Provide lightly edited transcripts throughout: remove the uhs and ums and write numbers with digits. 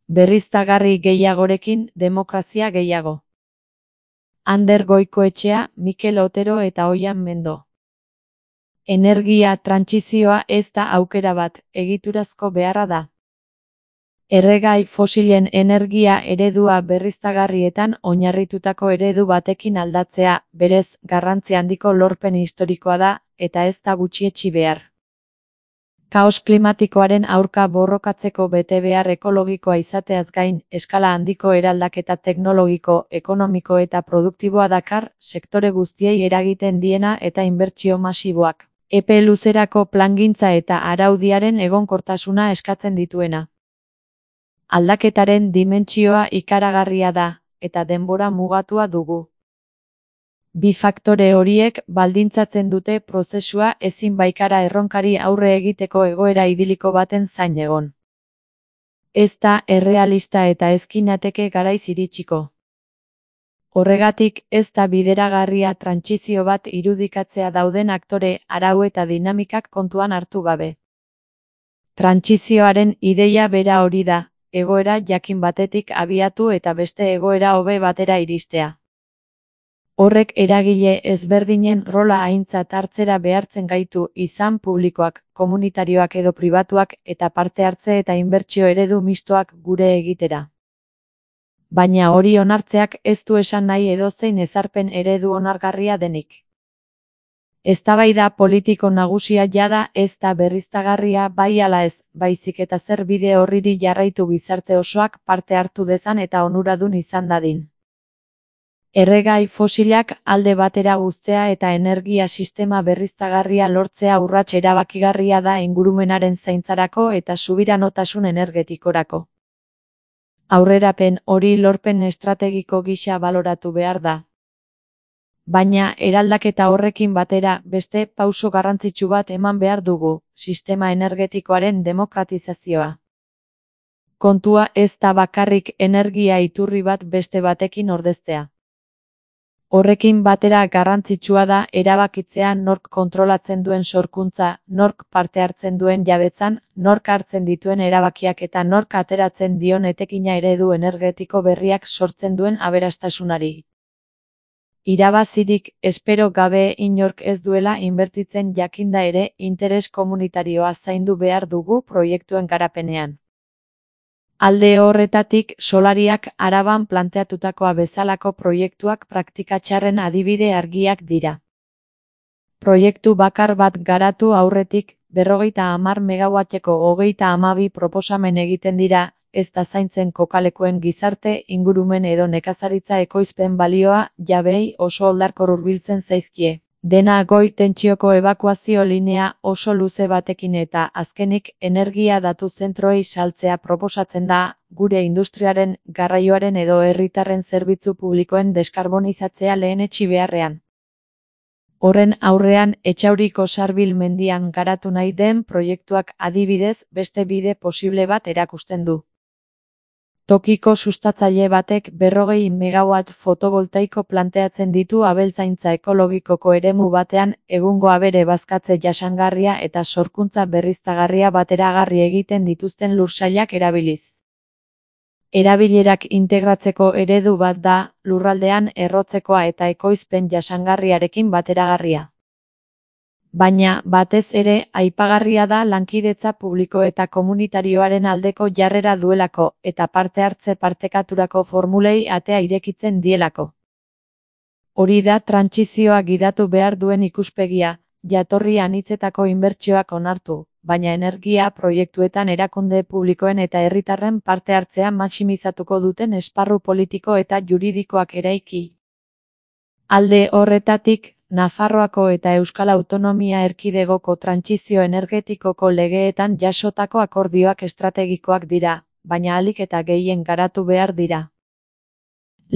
Berriztagarri gehiagorekin, demokrazia gehiago. Ander Goikoetxea, Mikel Otero eta Oian Mendo. Energia trantsizioa ez da aukera bat, egiturazko beharra da. Erregai fosilen energia eredua berriztagarrietan oinarritutako eredu batekin aldatzea, berez, garrantzi handiko lorpen historikoa da, eta ez da gutxietsi behar. Kaos klimatikoaren aurka borrokatzeko betebehar ekologikoa izateaz gain, eskala handiko eraldaketa teknologiko, ekonomiko eta produktiboa dakar, sektore guztiei eragiten diena eta inbertsio masiboak. Epe luzerako plangintza eta araudiaren egonkortasuna eskatzen dituena. Aldaketaren dimentsioa ikaragarria da, eta denbora mugatua dugu. Bi faktore horiek baldintzatzen dute prozesua ezin baikara erronkari aurre egiteko egoera idiliko baten zain egon. Ez da errealista eta ezkinateke garaiz iritsiko. Horregatik ez da bideragarria trantsizio bat irudikatzea dauden aktore, arau eta dinamikak kontuan hartu gabe. Trantsizioaren ideia bera hori da, egoera jakin batetik abiatu eta beste egoera hobe batera iristea. Horrek eragile ezberdinen rola aintzat hartzera behartzen gaitu izan publikoak, komunitarioak edo pribatuak eta parte hartze eta inbertsio eredu mistoak gure egitera. Baina hori onartzeak ez du esan nahi edozein ezarpen eredu onargarria denik. Eztabaida politiko nagusia jada ez da berriztagarria bai ala ez, baizik eta zer bide horriri jarraitu gizarte osoak parte hartu dezan eta onuradun izan dadin. Erregai fosilak alde batera uztea eta energia sistema berriztagarria lortzea urrats erabakigarria da ingurumenaren zaintzarako eta subiranotasun energetikorako. Aurrerapen hori lorpen estrategiko gisa baloratu behar da. Baina eraldaketa horrekin batera beste pauso garrantzitsu bat eman behar dugu, sistema energetikoaren demokratizazioa. Kontua ez da bakarrik energia iturri bat beste batekin ordeztea. Horrekin batera garrantzitsua da erabakitzea nork kontrolatzen duen sorkuntza, nork parte hartzen duen jabetzan, nork hartzen dituen erabakiak eta nork ateratzen dion etekina eredu energetiko berriak sortzen duen aberastasunari. Irabazirik espero gabe inork ez duela inbertitzen jakinda ere interes komunitarioa zaindu behar dugu proiektuen garapenean. Alde horretatik, Solariak Araban planteatutakoa bezalako proiektuak praktika txarren adibide argiak dira. Proiektu bakar bat garatu aurretik, 50 megawatteko 32 proposamen egiten dira, ez da zaintzen kokalekuen gizarte, ingurumen edo nekazaritza ekoizpen balioa, jabeei oso oldarkor hurbiltzen zaizkie. Dena goi tentsioko ebakuazio linea oso luze batekin eta azkenik energia datu zentroei saltzea proposatzen da, gure industriaren, garraioaren edo herritarren zerbitzu publikoen deskarbonizatzea lehenetsi beharrean. Horren aurrean Etxauriko Sarbil mendian garatu nahi den proiektuak adibidez beste bide posible bat erakusten du. Tokiko sustatzaile batek 40 megawatt fotovoltaiko planteatzen ditu abeltzaintza ekologikoko eremu batean egungo abere bazkatze jasangarria eta sorkuntza berriztagarria bateragarri egiten dituzten lursailak erabiliz. Erabilerak integratzeko eredu bat da, lurraldean errotzekoa eta ekoizpen jasangarriarekin bateragarria. Baina, batez ere, aipagarria da lankidetza publiko eta komunitarioaren aldeko jarrera duelako eta parte hartze partekaturako formulei atea irekitzen dielako. Hori da trantsizioa gidatu behar duen ikuspegia, jatorri anitzetako inbertsioak onartu, baina energia proiektuetan erakunde publikoen eta herritarren parte hartzea maximizatuko duten esparru politiko eta juridikoak eraiki. Alde horretatik, Nafarroako eta Euskal Autonomia Erkidegoko trantsizio energetikoko legeetan jasotako akordioak estrategikoak dira, baina ahalik eta gehien garatu behar dira.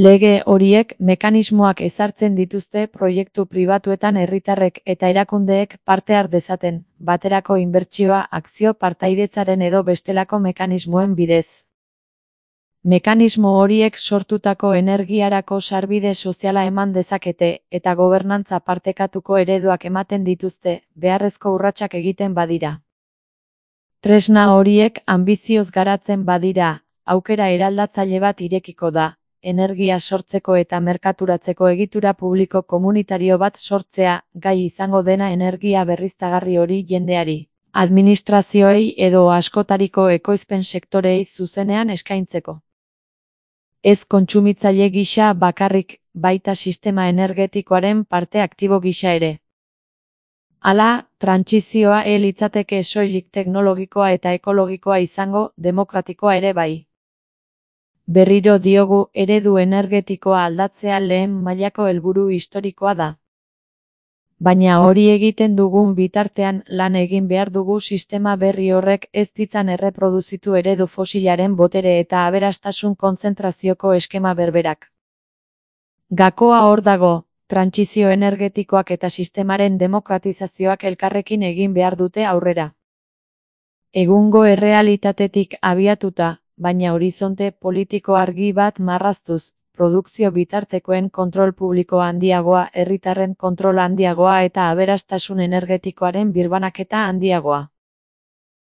Lege horiek mekanismoak ezartzen dituzte proiektu pribatuetan herritarrek eta erakundeek parte har dezaten, baterako inbertsioa akzio partaidetzaren edo bestelako mekanismoen bidez. Mekanismo horiek sortutako energiarako sarbide soziala eman dezakete eta gobernantza partekatuko ereduak ematen dituzte, beharrezko urratsak egiten badira. Tresna horiek anbizioz garatzen badira, aukera eraldatzaile bat irekiko da, energia sortzeko eta merkaturatzeko egitura publiko komunitario bat sortzea, gai izango dena energia berriztagarri hori jendeari, administrazioei edo askotariko ekoizpen sektoreei zuzenean eskaintzeko. Ez kontsumitzaile gisa bakarrik, baita sistema energetikoaren parte aktibo gisa ere. Hala, trantsizioa litzateke soilik teknologikoa eta ekologikoa izango, demokratikoa ere bai. Berriro diogu, eredu energetikoa aldatzea lehen mailako helburu historikoa da. Baina hori egiten dugun bitartean lan egin behar dugu sistema berri horrek ez ditzan erreproduzitu eredu fosilaren botere eta aberastasun kontzentrazioko eskema berberak. Gakoa hor dago, trantsizio energetikoak eta sistemaren demokratizazioak elkarrekin egin behar dute aurrera. Egungo errealitatetik abiatuta, baina horizonte politiko argi bat marraztuz, produkzio bitartekoen kontrol publiko handiagoa, herritarren kontrol handiagoa eta aberastasun energetikoaren birbanaketa handiagoa.